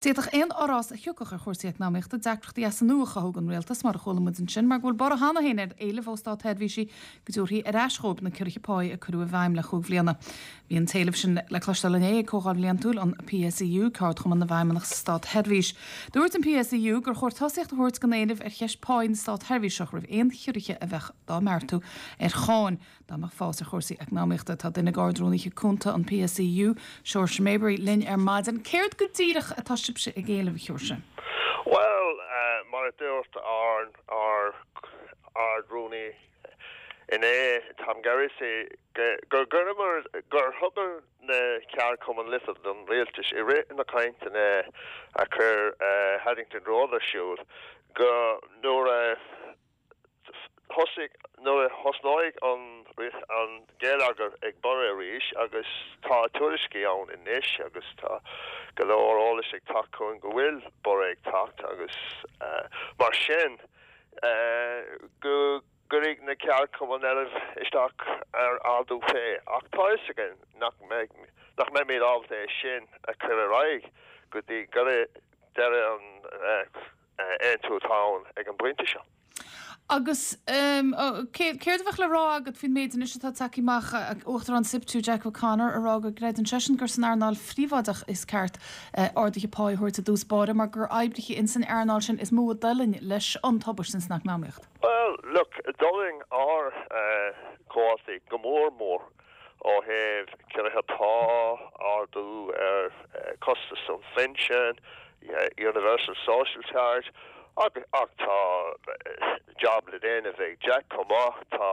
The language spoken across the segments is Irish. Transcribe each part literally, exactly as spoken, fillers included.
D'fhéadfadh aon fhorás a thiocfadh ar chúrsaí eacnamaíochta deacrachtaí as an nua a chothú don rialtas, mar a chuala muid ansin, mar go bhfuil borradh cheana féin ar éilimh ó státseirbhísigh go dtabharfaí ar ais dhóibh na ciorruithe páí a cuireadh i bhfeidhm le cúig bhliana. Bhí an t-éileamh sin le cloisteáil inné ag Comhdháil Bhliantúil an PSEU, Ceardchumann na bhFeidhmeannach sa Státsheirbhís. Dúirt an PSEU gur chóir tosaíocht a thabhairt don éileamh ar cheist páí na státseirbhíseach roimh aon chiorruithe a bheadh dá mbeartú ar cháin. Dá mbeadh fás ar chúrsaí eacnamaíochta tá duine d'Ard-Rúnaithe Cúnta an PSEU, Seoirse Maybury linn ar maidin. Céard go díreach atá sibhse ag éileamh a Sheoirse? Well, uh, mar a dúirt ár ár Ard-Rúnaí inné Tom Geraghty gur gur gur thugamar na ceardchumainn litir don rialtas i rith na cainteanna a chuir uh, Haddington Road ar siúl go nuair a thosaigh nuair a thosnaigh an an geilleagar ag borradh arís agus tá tuairiscí ann anois agus tá go leor eolais ag teacht chugainn go bhfuil borradh ag teacht agus uh, mar sin uh, go gcuirfidh na ceardchumainn éileamh isteach ar ardú pá ach tá a fhios againn nach mbeidh nach mbeimid ábalta é sin a chur ar aghaidh go dtí go deireadh an uh, aontú atá ann ag an bpointe seo. Agus um, céard a bheadh le rá agat faoin méid anois atá tagtha amach Uachtarán SIPTU Jack O'Connor a rá go gcreideann seisean gur san earnáil phríobháideach is ceart uh, arduithe pá a thabhairt i dtús báire mar gur oibrithe in san earnáil sin is mó a d'fhulaing leis an tubaiste san eacnamaíocht. Well, look, d'fhulaing ár uh, comhaltaí go mór mór ó thaobh ciorruithe pá ardú ar uh, costas an phinsin, yeah, Universal Social Charge, ach ach tá job le déanamh ag Jack chomh maith tá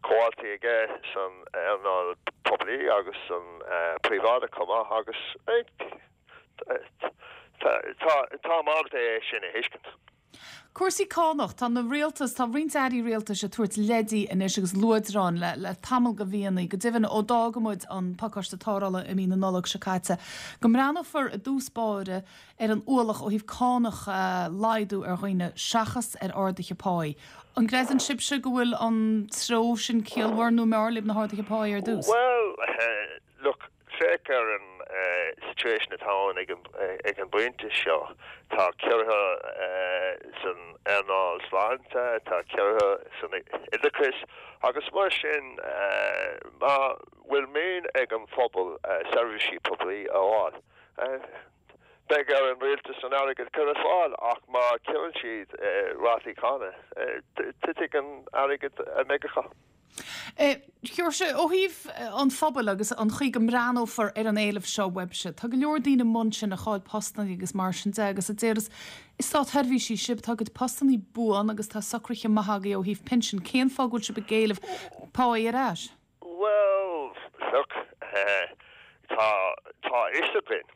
comhaltaí aige san earnáil poiblí agus san príobháideach chomh maith agus tá mar é sin a thuiscint. Cúrsaí cánach tá na rialtas tá roinnt airí rialtais ag tabhairt leidí anois agus luaidreán le, le tamall de mhíonna, go deimhin ó d'fhág muid an pacáiste tarrthála i mí na Nollag seo caite. Go mbreathnófar i dtús báire ar an ualach ó thaobh cánach uh, laghdú ar dhaoine seachas ar arduithe páí. An gcreideann sibhse go bhfuil an treo sin ciallmhar nó mb'fhearr libh na harduithe páí ar dtús? Well, uh, look, féach ar an uh, situation atá ag an, ag an bpointe seo tá ciorruithe uh, san earnáil sláinte tá ciorruithe san oideachas agus mar sin uh, má bhfuil mian ag an phobal uh, seirbhísí poiblí a fháil. Uh, Beidh ar an rialtas an airgead a chur ar fáil ach má chiorraíonn siad uh, rátaí cánach uh, titfidh an airgead a mbeidh acu. Sheoirse ó thaobh an phobail agus an chaoi go mbreathnófar ar an éileamh seo uaibhse. Tá go leor daoine munn sin a chaill postanna agus mar sin de agus a déras is státseirbhísigh sibh tá bhur bpostanna buan agus tá socruithe maithe agaibh ó thaobh pinsin cén fáth go bhfuil sibh ag éileamh pá ar ais? Well look uh, tá tá a fhios againn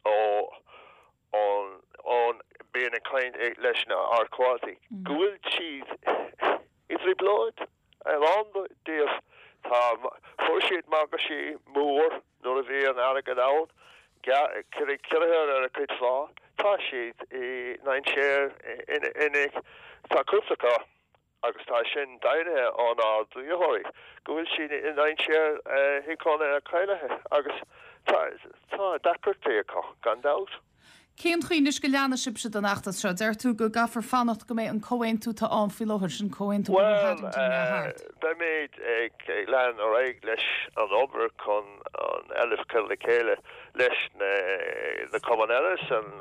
ó ón ón bíonn ag caint leis na ár gcomhaltaí go bhfuil siad i dtrioblóid an díobh tá fuair siad magaisí mór nuair a bhí an airgead ann ciorruithe ar a gcuid pá tá siad i ndainséar ina tá cúpla agus tá sin deimhnithe ón ár dlítheoirí go bhfuil siad i ndainséar thuigcóna cailithe agus tá tá deacrachtaí acu gan dabht. Cén chaoi anois go leanfaidh sibhse den fheachtas seo deir tú go gcaithfear fanacht go mbeidh an comhaontú atá ann faoi láthair sin comhaontú Well beimid ag lean ar aghaidh leis an obair chun an éileamh a chur le chéile leis na na cumainn eile san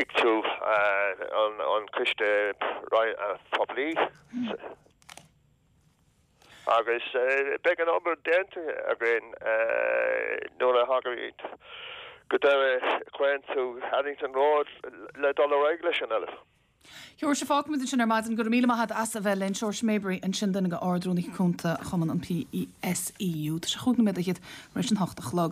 ICTU an an coiste poiblí. agus beidh an obair déanta againn nuair a thagaimid go deireadh comhaontú Haddington Road le dul ar aghaidh leis an éileamh. Seoirse fágfaimid sin ar maidin go raibh míle maith agat as a bheith linn Seoirse Maybury ansin duine d'Ard-Rúnaithe Cúnta Chumann an PSEU Tá sé chúig nóiméad tar éis an hocht a chlog.